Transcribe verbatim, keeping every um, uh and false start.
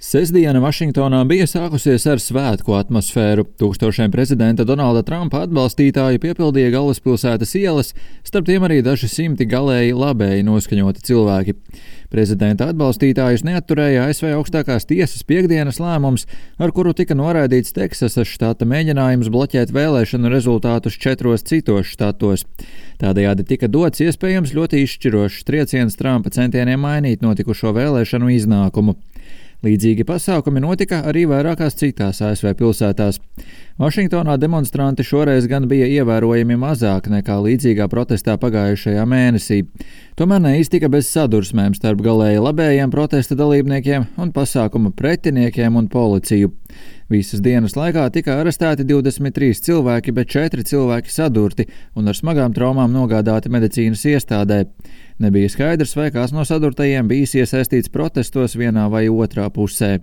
Sestdiena Vašingtonā bija sākusies ar svētku atmosfēru. Tūkstošiem prezidenta Donalda Trumpa atbalstītāji piepildīja galvaspilsētas ielas, starp tiem arī daži simti galēji labēji noskaņoti cilvēki. Prezidenta atbalstītājus neatturēja A S V augstākās tiesas piektdienas lēmums, ar kuru tika noraidīts Teksasas štata mēģinājums bloķēt vēlēšanu rezultātus četros citos štatos. Tādējādi tika dots iespējams ļoti izšķirošs trieciens Trumpa centieniem mainīt notikušo vēlēšanu iznākumu. Līdzīgi pasākumi notika arī vairākās citās A S V pilsētās. Vašingtonā demonstranti šoreiz gan bija ievērojami mazāk nekā līdzīgā protestā pagājušajā mēnesī. Tomēr neiztika bez sadursmēm starp galēji labējiem protesta dalībniekiem un pasākuma pretiniekiem un policiju. Visas dienas laikā tika arestēti divdesmit trīs cilvēki, bet četri cilvēki sadurti un ar smagām traumām nogādāti medicīnas iestādē. Nebija skaidrs, vai kāds no sadurtajiem bijis iesaistīts protestos vienā vai otrā pusē.